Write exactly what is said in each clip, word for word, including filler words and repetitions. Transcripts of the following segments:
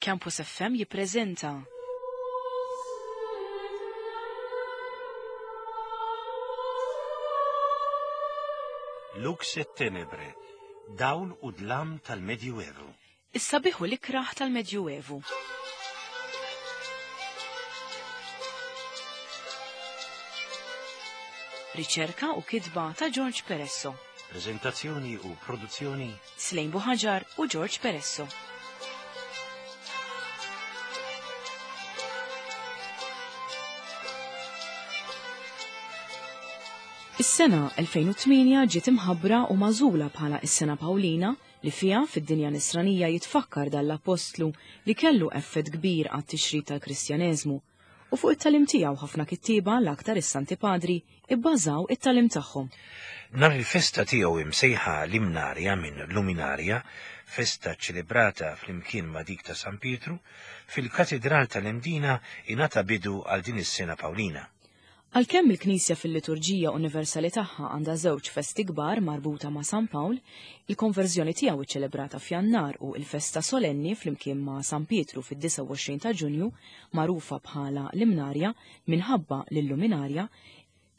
Campus F M jippreżenta Lux et Tenebre, dawl u dlam tal-Medjuevu. Is-sabiħ u l-ikraħ tal-Medjuevu. Riċerka u kitba ta' George Peresso. Prezentazzjoni u produzzjoni Slejn Buħaġar u George Peresso. Is-sena elfejn u tmienja ġiet imħabbra u magħżula bħala is-sena Pawlina li fiha fid-dinja nisranija jitfakkar dal-apostlu li kellu effett kbir għat-tixrid tal-Kristjaneżmu u fuq it-talim tiegħu ħafna kittieba l-aktar is-Santi Padri ibbażaw it-talim tagħhom. Nhar il-festa tiegħu imsejħa l-Imnarja minn Luminarja, festa ċelebrata flimkien ma' dik ta' San Pietru, fil-Katedral tal-Imdina ingħata bidu għal din is-sena Pawlina. Għalkemm il-Knisja fil-liturġija universali tagħha għandha żewġ festi kbar marbuta ma' San Pawl, il-konverżjoni tiegħu iċċelebrata f'Jannar u l-festa solenni flimkien ma' San Pietru fid-disgħa u għoxrin ta' Ġunju, magħrufa bħala l-Imnarja minħabba l-Luminarja,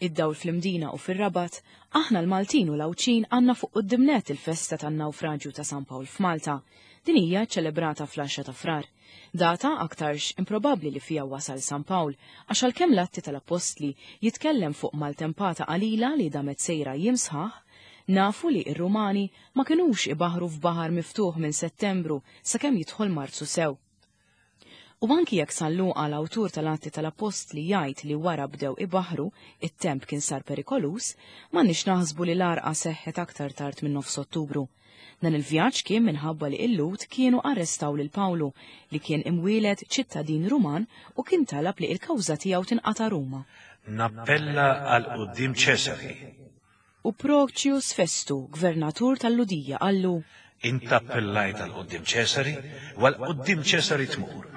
id-dawl fl-Imdina u fir-Rabat, aħna l-Maltin u l-Għawdxin għandna fuq quddiem nett il-festa tan-nawfraġju ta' San Pawl f'Malta. Din hija ċċelebrata fl-għaxra ta' Frar. Data aktarx improbabbli li fija wasal San Pawl, għax għalkemm l-Atti tal-Appostli jitkellem fuq maltempata qalila li damet sejra jiem sħaħ, nafu li r-Rumani ma kinux ibaħru f'baħar miftuħ minn Settembru sakemm jidħol Marzu sew. U anki jekk San Luqa l-awtur tal-Atti tal-Appostli jgħid li wara bdew ibaħru, it-temp kien sar perikolus, m'għandniex naħsbu li l-għarqa seħħet aktar tard minn nofs Ottubru. Dan il-vjaġġ kien minħabba li l-Lhud kienu arrestaw lil Pawlu li kien imwieled ċittadin Ruman u kien talab li l-kawża tiegħu tinqata' Ruma. Nappella għal quddiem Ċesari. U Procius Festu, gvernatur tal-Ludija, qallu: Int appellajt għal quddiem Ċesari, u għal quddiem Ċesari tmur.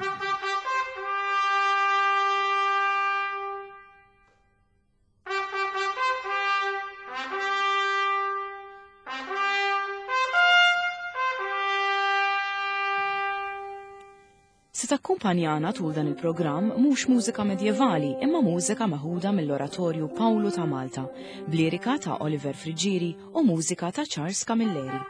Se takkumpanjana tul dan il-programm mhux mużika medjevali imma mużika meħuda mill-Oratorju Pawlu ta' Malta, b'lirika ta' Oliver Friggieri u mużika ta' Charles Camilleri.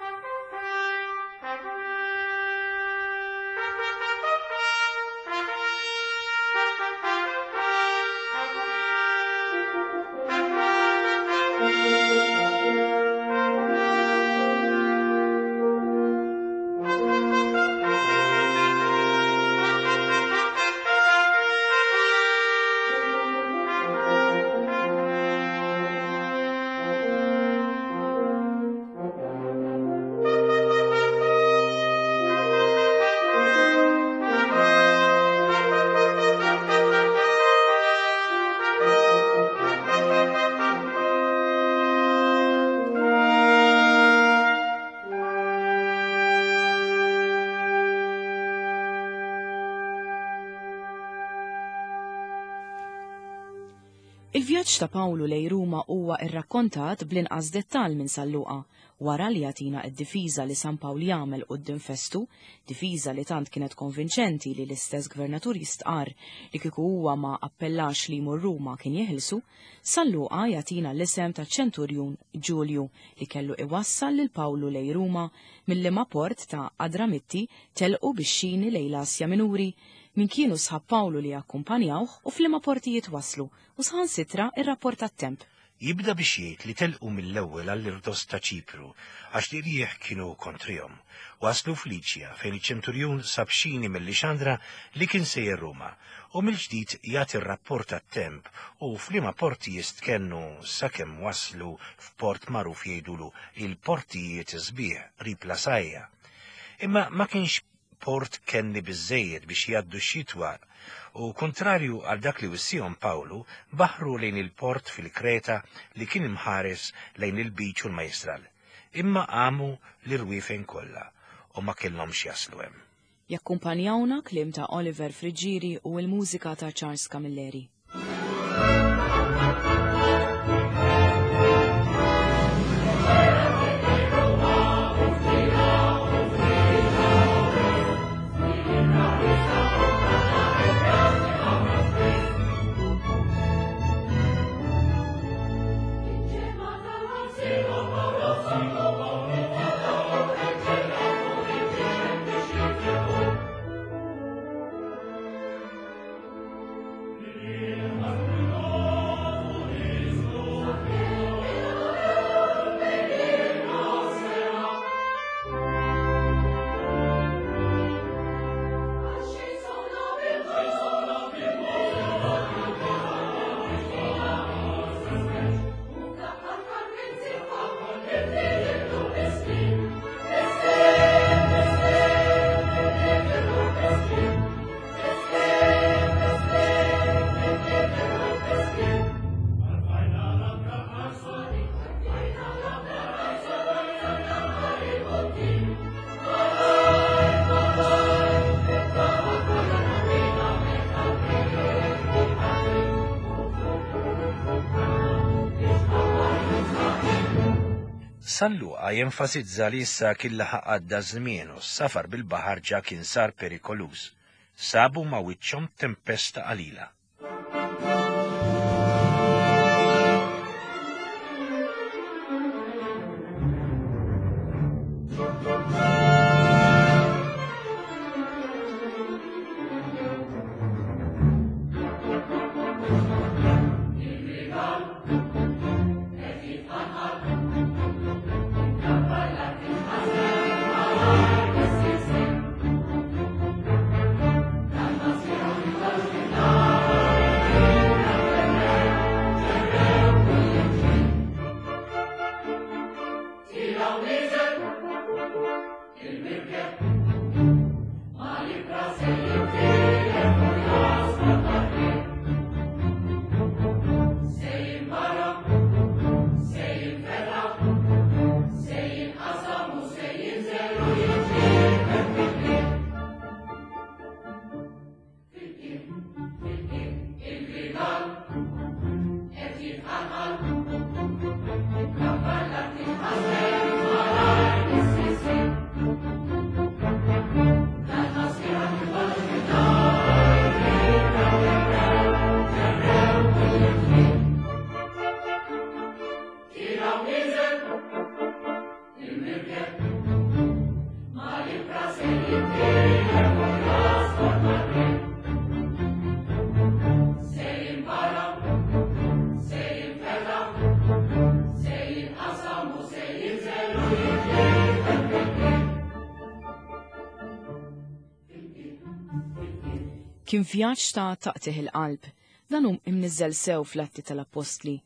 Il-vjaġġ ta' Pawlu lejn Ruma huwa rrakkontat bl-inqas dettall minn San Luqa, wara li jagħtina d-difiża li San Pawl jagħmel quddiem Festu, difiża li tant kienet konvinċenti li l-istess gvernatur jistqarr li kieku huwa ma appellax li jmur Ruma kien jeħilsu, San Luqa jagħtina l-isem ta' ċenturjun Ġulju li kellu iwassal lil Pawlu lejn Ruma mill-liema port ta' Adramitti telqu bix-xini lejn l-Asja Minuri, min kienu sħab Pawlu li akkumpanjawh u f'liema portijiet waslu u saħansitra ir-rapport tat-temp. Jibda biex jgħid li telqu mill-ewwel għall-irdos ta' Ċipru għax li rieħ kienu kontrihom. Waslu f'Liċja fejn iċ-ċenturjun sab xini mill-Lixandra li kien sejjer Ruma u mill-ġdid jagħti r-rapport tat-temp u f'liema porti jistkennu sakemm waslu f'port magħruf jgħidulu il-portijiet sbieħ qrib Lasajja. Imma ma kienx port kenni biżżejjed biex jgħaddu x-xitwa u kontrarju għal dak li wissihom Pawlu, baħru lejn il-port fil-Kreta li kien imħares lejn il-biċ u l-majstral. Imma qamu l-irwiefen kollha u ma kellhomx jaslu hemm. Jakkumpanjawna kliem ta' Oliver Friggieri u l-mużika ta' Charles Camilleri. Thank you. San Luqa jenfasizza li issa kien laħaq għadda żmien u s-safar bil-baħar ġa kien sar perikoluż. Sabu ma' wiċċhom tempesta qalila. Kien vjaġġ ta' taqtih il-qalb, dan hu imniżżel sew fl-Atti tal-Appostli.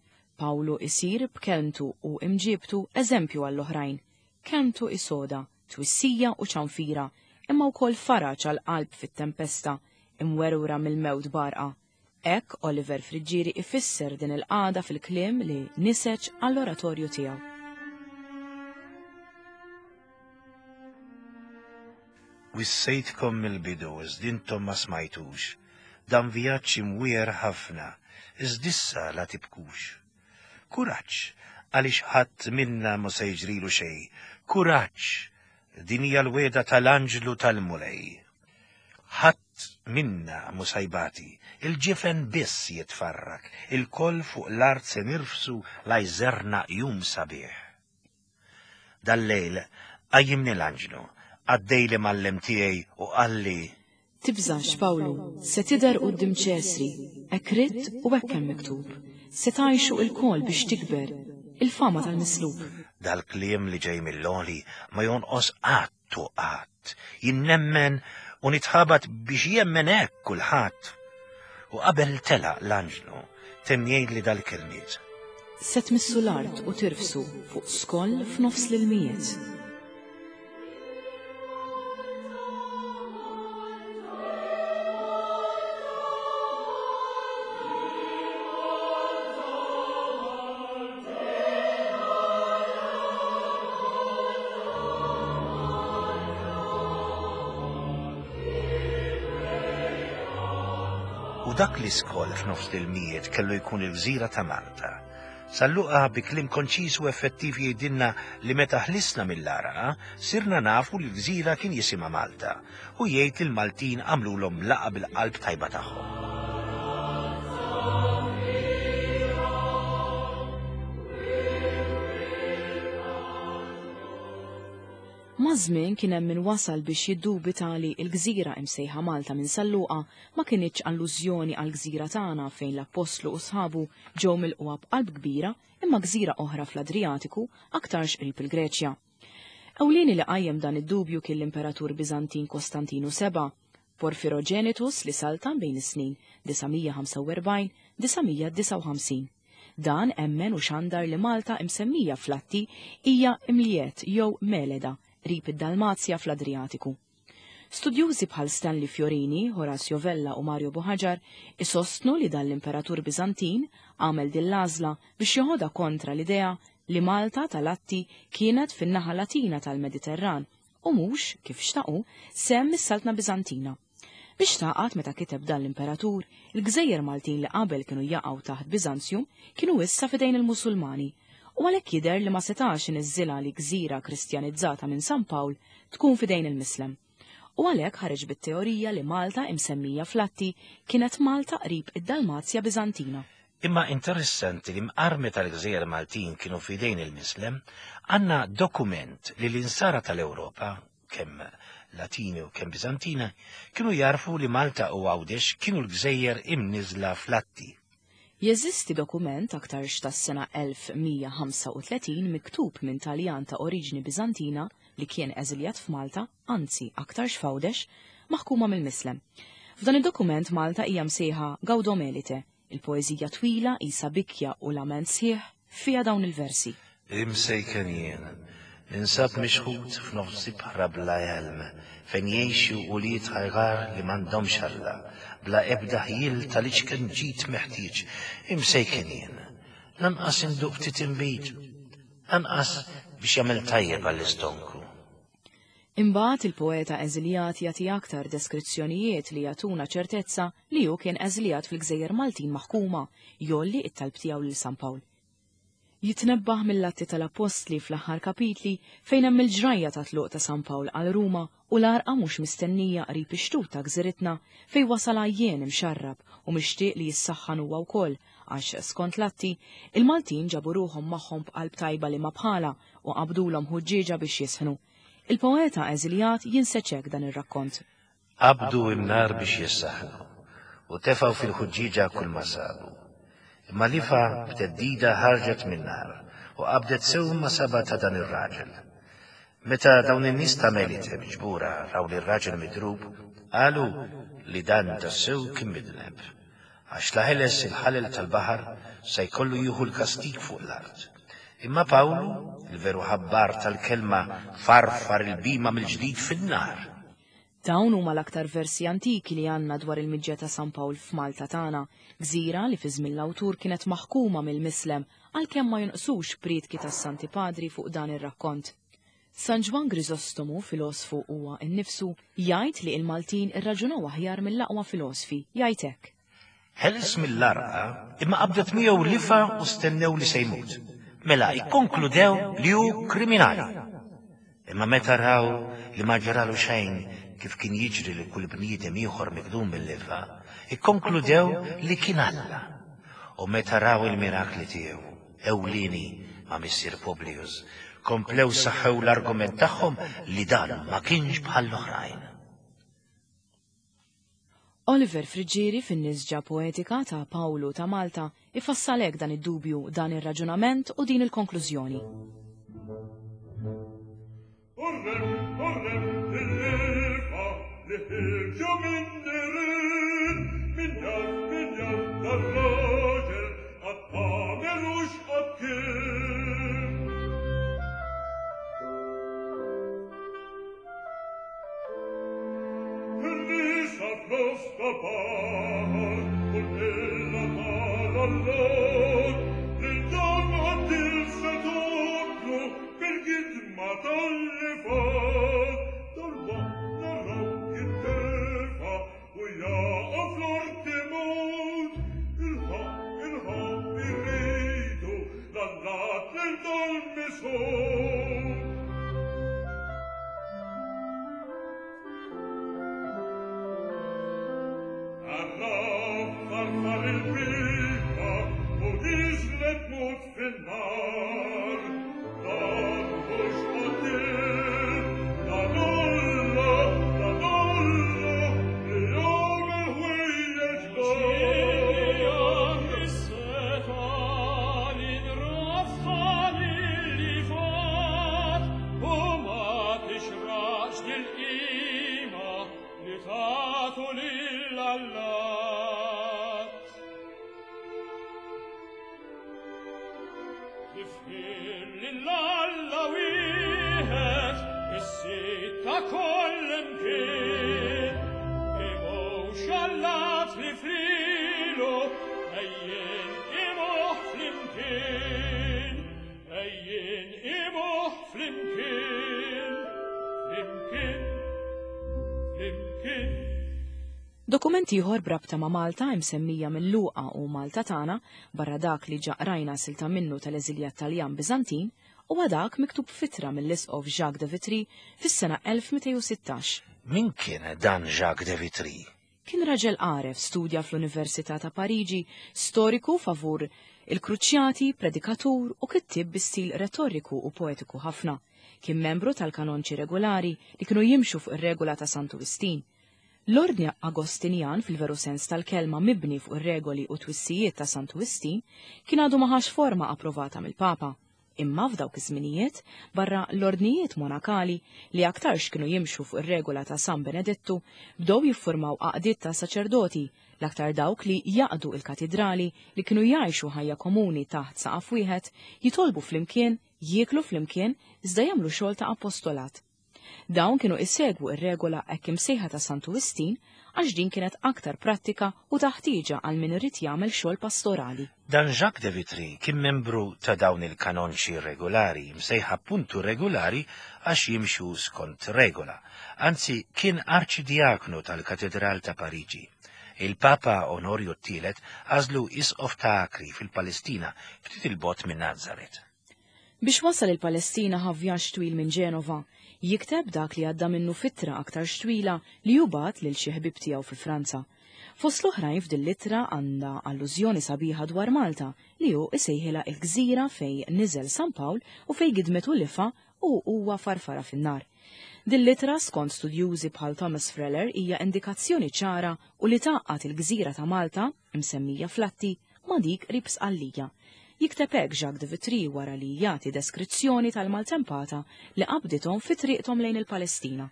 Pawlu isir b'kelmtu u imġibtu eżempju għall-oħrajn. Kelmtu isoda, twissija u ċanfira, imma wkoll faraġ għall-qalb fit-tempesta, imwerwra mill-mewt barqa. Hekk Oliver Friggieri ifisser din il-qagħda fil-kliem li niseġ għall-oratorju tiegħu. Wissejtkom mill-bidu, iżda intom ma smajtux. Dan vjaġġ imwiegħer ħafna, iżda issa la tibkux. Kuraġġ, għaliex ħadd minna ma se jiġrilu xejn. Kuraġġ, din hija l-wegħda tal-anġlu tal-Mulej. Ħadd minna mhu se jbati, il-ġifen biss jitfarrak, il-koll fuq l-art se nirfsu la jżerna jum sabiħ. Dal-lejl qajjimni l-anġlu, għaddej li mallem tiegħi u qalli: Tibżax, Pawlu, se tidher quddiem Ċesri, hekk ridt u hekk hemm miktub. Se tgħixu il-kol biex tikber il-fama tal-mislub. Dal-kliem li ġej mill-għoli ma jonqos qatt u qatt. Jinnemmen u nitħabat biex jemmen hekk kulħadd. U qabel telaq l-anġlu temm jgħidli dal-kelmiet: Se tmissu l-art u tirfsu fuq skoll f'nofs l-ilmijiet. U dak li skoll f'nofs l-ilmijiet kellu jkun il-gżira ta' Malta. San Luqa bi kliem konċis u effettiv jgħidilna li meta ħlisna mill-għarqa, sirna nafu li l-gżira kien jisimha Malta, u jgħid li l-Maltin għamlulhom laqa bil-qalb tajba tagħhom. Maż-żmien kien hemm min wasal biex jiddubita li l-gżira imsejħa Malta minn San Luqa ma kinitx allużjoni għall-gżira tagħna fejn l-Appostlu u sħabu ġew milquha b'qalb kbira, imma gżira oħra fl-Adriatiku aktarx qrib il-Greċja. Ewlieni li qajjem dan id-dubju kien l-Imperatur Biżantin Kostantinu seba', Porfirogenitus li saltan bejn is-snin disa' mija ħamsa u erbgħin disa' mija disgħa u ħamsin. Dan emmen u xandar li Malta imsemmija fl-Atti hija Imliet jew Meleda, qrib id-Dalmazja fl-Adriatiku. Studjużi bħal Stanley Fiorini, Horacio Vella u Mario Buhagiar isostnu li dan l-Imperatur Biżantin għamel din l-għażla biex joħodha kontra l-idea li Malta tal-Atti kienet fin-naħa Latina tal-Mediterran u mhux, kif xtaqu, sehem mis-Saltna Biżantina. Biex taqgħad meta kiteb dan l-Imperatur, il-gżejjer Maltin li qabel kienu jaqgħu taħt Biżanzjum kienu issa f'idejn il-Musulmani, u għalhekk jidher li ma setax iniżżilha li gżira kristjanizzata minn San Pawl tkun f'idejn il-Mislem. U għalhekk ħareġ bit-teorija li Malta imsemmija fl-Atti kienet Malta qrib id-Dalmazja Biżantina. Imma interessanti li mqarmi tal-gżejjer Maltin kienu f'idejn il-Mislem, għandna dokument li l-insara tal-Ewropa, kemm Latini u kemm Biżantina, kienu jarfu li Malta u Għawdex kienu l-gżejjer imniżla fl-Atti. Jeżisti dokument aktarx tas-sena elf mija ħamsa u tletin miktub minn Taljan ta' oriġni Biżantina li kien eżiljat f'Malta, anzi aktarx f'Għawdex, maħkuma mill-Mislem. F'dan id-dokument Malta hija msejħa Gaudomelite, il-poeżija twila isa bikja u lament sħiħ fiha dawn il-versi. Imsejken jien, ninsab mixħut f'nofs ibħra bla għelm, fejn jgħixu ulied ħajgar li m'għandhomx Alla, bla ebda ħjiel tal-iċken ġid meħtieġ. Imsejken jien, lanqas induq ftit inbid, lanqas biex jagħmel tajjeb għall-istonku. Imbagħad il-poeta eżiljat jagħti aktar deskrizzjonijiet li jagħtuna ċertezza li hu kien eżiljat fil-Gżejjer Maltin maħkuma, jolli it-talb tiegħu lil San Pawl. Jitnebbaħ mill-Atti tal-Appostli fl-aħħar kapitli fejn hemm il-ġrajja ta' tluq ta' San Pawl għal Ruma u l-għarqa mhux mistennija qrib ix-xtut ta' gżiritna fejn wasal għajjien imxarrab u mixtieq li jissaħħan huwa wkoll għax skont l-Atti il-Maltin ġabu ruħhom magħhom b'qalb tajba li ma bħala u qabdulhom ħuġġieġa biex jisħnu. Il-poeta eżiljat jinseċek dan ir-rakkont. Qabdu n-nar biex jissaħnu u tefgħu fil-ħuġġieġa kull ma sabu. Imma lifa b'teddida ħarġet min-nar u qabdet sew ma saba ta' dan ir-raġel. Meta dawn in-nies ta' Melite miġbura raw li r-raġel midrub, qalu li dan tassew kien midneb, għax la ħeles il-ħalel tal-baħar se jkollu jieħu l-kastig fuq l-art. Imma Pawlu, il-veru ħabbar tal-kelma, farfar il-bima mill-ġdid fin-nar. Dawn huma l-aktar versi antiki li għandna dwar il-miġja ta' San Pawl f'Malta tagħna, gżira li fi żmien l-awtur kienet maħkuma mill-Mislem għalkemm ma jonqsux priedki tas-Santi Padri fuq dan ir-rakkont. San Ġwann Grisostomu, filosfu huwa nnifsu, jgħid li l-Maltin irraġunaw aħjar mill-aqwa filosfi, jgħid hekk. Ħeles mill-arqa imma qabdet miegħu lifa u stennew li se jmut. Mela ikkonkludew li hu kriminali. Imma meta raw li ma ġralu xejn kif kien jiġri li kull bniedem ieħor mikdum mill-lifa, ikkonkludew li kien Alla. U meta raw il-mirakli tiegħu, ewlieni ma' missier Publius, komplew saħħew l-argument tagħhom li dan ma kienx bħall-oħrajn. Oliver Friggieri fin-nisġa poetika ta' Pawlu ta' Malta ifassalek dan id-dubju, dan ir-raġunament u din il-konklużjoni. Dokument ieħor b'rabta ma' Malta imsemmija minn Luqa u Malta tagħna, barra dak li ġaqrajna silta minnu tal-eżiljat Taljan Biżantin, huwa dak miktub fitra mill-Isqof Jacques de Vitry fis-sena elf mitejn u sittax. Min kien dan Jacques de Vitry? Kien raġel għaref, studja fl-Università ta' Pariġi, storiku favur il-kruċjati, predikatur u kittieb bi stil retoriku u poetiku ħafna. Kien membru tal-kanonċi regolari li kienu jimxu fuq ir-regola ta' Santu Wistin. L-ordni Agostinjan fil-veru sens tal-kelma mibni fuq ir-regoli u twissijiet ta' Santu Wistin kien għadu ma ħax forma approvata mill-Papa. Imma f'dawk iż-żminijiet, barra l-ordnijiet monakali li aktarx kienu jimxu fuq ir-regola ta' San Benedettu, bdew jiffurmaw għaqdiet ta' saċerdoti, l-aktar dawk li jaqdu il-katidrali li kienu jgħixu ħajja komuni taħt saqaf wieħed, jitolbu flimkien, jieklu flimkien, iżda jagħmlu xogħol ta' apostolat. Dawn kienu isegwu ir-regola hekk imsejħa ta' Santu Wistin għax din kienet aktar prattika u taħtieġa għal min irid jagħmel xogħol pastorali. Dan Jacques de Vitry kien membru ta' dawn il-kanonċi regolari, msejħa puntu regolari għax jimxu skont regola. Anzi, kien arċidiaknu tal-Katedral ta' Pariġi. Il-Papa Onorju t-tielet għażlu isqof ta' Akri fil-Palestina, ftit il-bogħod minn Nazaret. Biex wasal il-Palestina ħa vjaġġ twil minn Ġenova, jikteb dak li għadda minnu fitra aktar twila li jubat lil xi ħbieb tiegħu fi Franza. Fost l-oħrajn f'din l-ittra għandha allużjoni sabiħa dwar Malta li hu isejħilha il-gżira fej niżel San Pawl u fej gidmetu lifa u huwa farfara fin-nar. Din l-ittra skont studjużi bħal Thomas Freller hija indikazzjoni ċara u li tgħaqqad il-gżira ta' Malta, imsemmija Flatti, ma' dik qrib Sqallija. Jikteb hekk Jacques de Vitry wara li jagħti deskrizzjoni tal-maltempata li qabdithom fi triqthom lejn il-Palestina.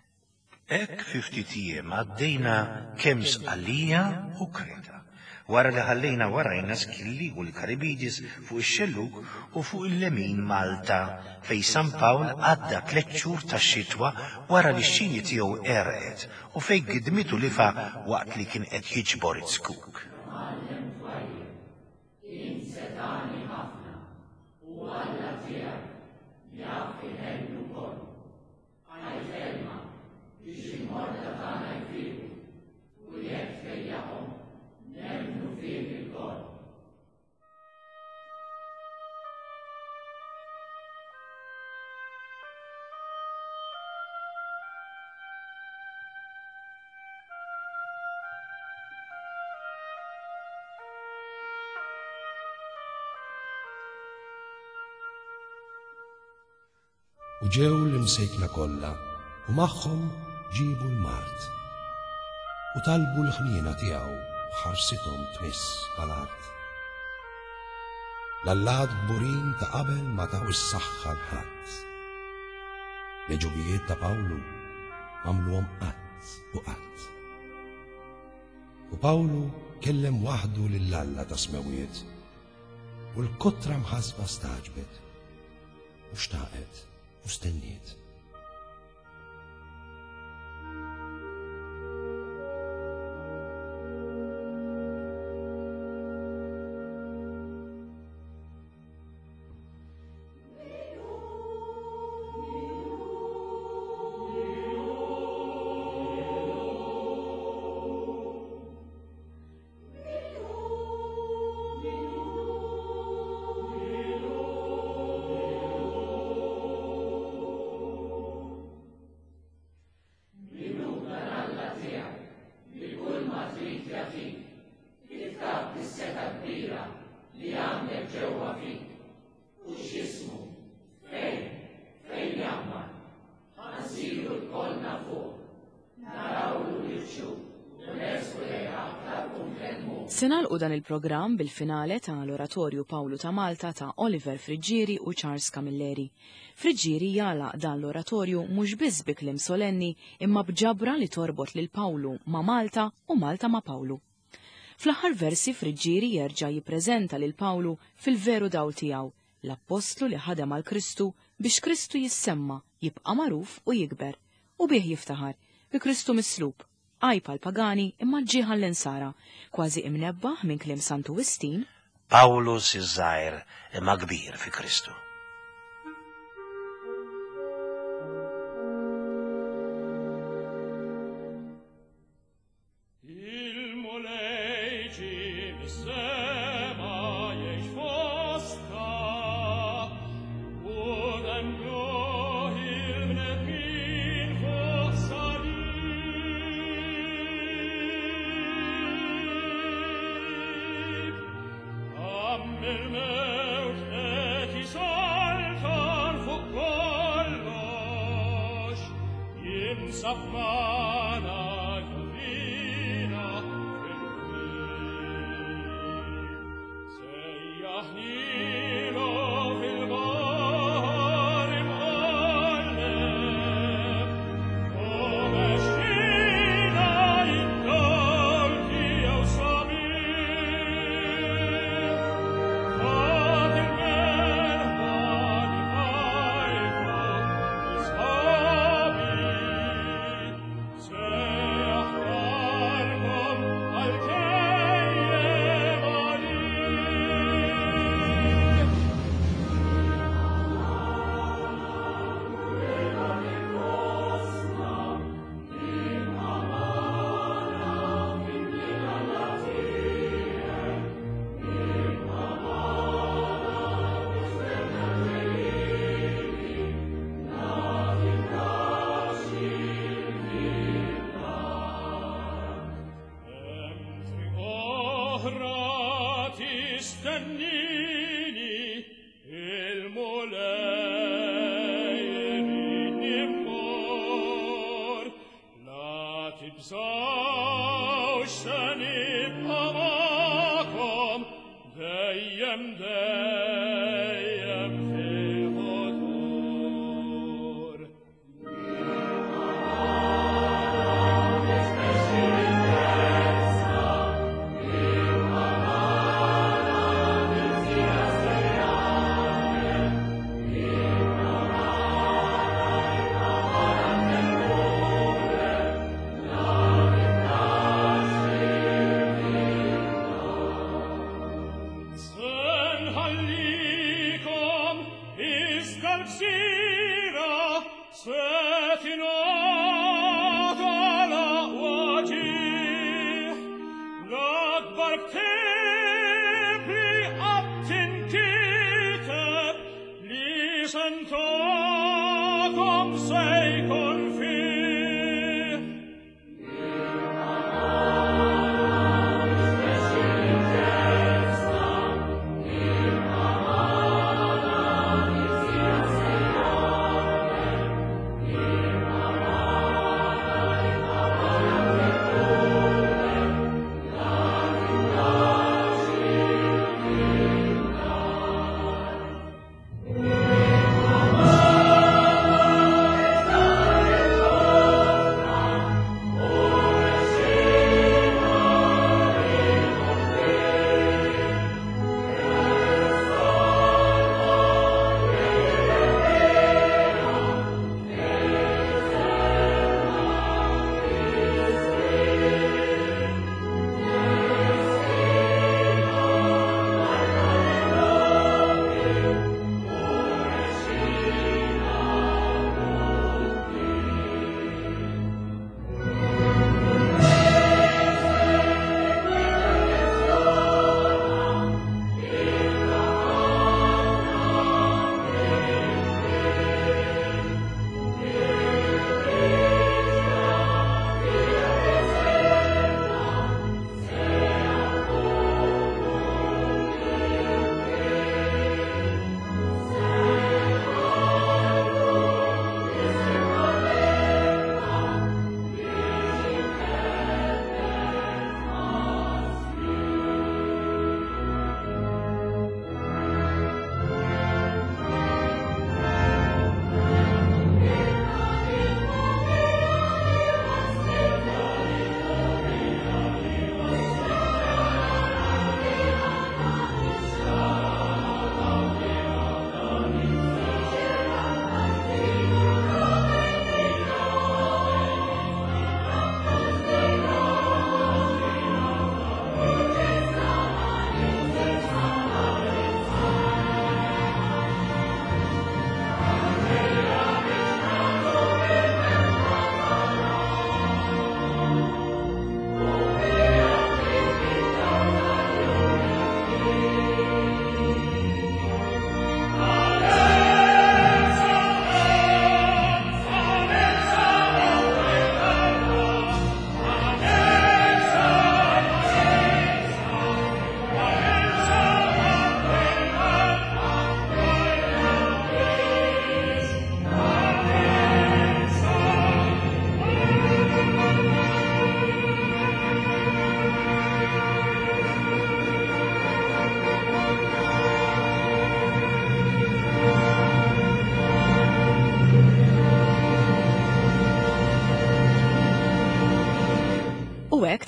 Hekk fi ftit jiem għaddejna kemm Sqallija u Kreta. Wara li ħallejna warajna Skilli u l-Karibidis fuq ix-xellug u fuq il-lemin Malta, fej San Pawl għadda tliet xhur tax-xitwa wara li x-xini tiegħu għerqet u fej gidmitu lifa waqt li kien qed jiġbor it-skuk. U ġew l-imsejkna kollha u magħhom ġibu l-mart. U talbu l-ħniena tiegħu ħarsithom tmiss mal-art. L-allat kburin ta' qabel ma taw is-saħħa l-ħadd. L-ġubijiet ta' Pawlu għamluhom qatt u qatt. U Pawlu kellem waħdu lil Alla ta' smewiet u l-kotra mħasba staġbet u xtaqet u stenniet. Se nagħlqu dan il-programm bil-finale ta' l-Oratorju Pawlu ta' Malta ta' Oliver Friggieri u Charles Camilleri. Friggieri jagħlaq dan l-oratorju mhux biss bi kliem solenni imma b'ġabra li torbot lil Pawlu ma' Malta u Malta ma' Pawlu. Fl-aħħar versi Friggieri jerġa' jippreżenta lil Pawlu fil-veru dawl tiegħu, l-appostlu li ħadem għal Kristu biex Kristu jissemma, jibqa' magħruf u jikber, u bih jiftaħar bi Kristu mislub. Għajb għal-pagani imma ġieħa l-insara, kważi imnebbaħ minn kliem Santu Wistin. Pawlus iż-żgħir imma kbir fi Kristu. Il Fis-sema jgħix fostna u nemmnuh il-bnedmin fuq salib. Qam mill-mewt qed isaltan fuq kollox, jinsab magħna jurina fil-triq. Sejjaħnilu fil-baħar imqalleb, u mexxina id-dawl tiegħu sabiħ. Ħadd il-merħba li fajfu sħabi, se aħbarkom għal dejjem għalih. Hemm triq oħra tistennini, il-Mulej iridni mmur. La tibżgħux se nibqa' magħkom dejjem dejjem fil-ħodur. Se nħallikom iżda l-gżira se tingħata l-aqwa ġieħ. L-akbar ktieb li qatt inkiteb li se ntakom se jkun fih.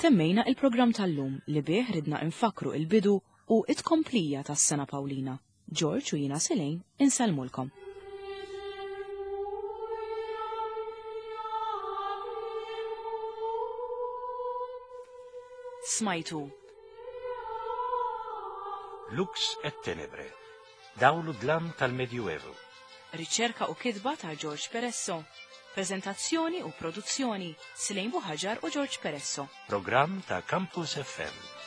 Temmejna il-programm tal-lum li bih ridna infakru il-bidu u it-komplija tas-sena Pawlina. George u jina Selene insellmulkom. Smajtu Lux et Tenebre, dawlu dlam tal-Medjuevu. Riċerka u kitba ta' George Peresso. Prezentazzjoni u produzzjoni Silejn Buħaġar u George Peresso. Programm ta' Campus F M.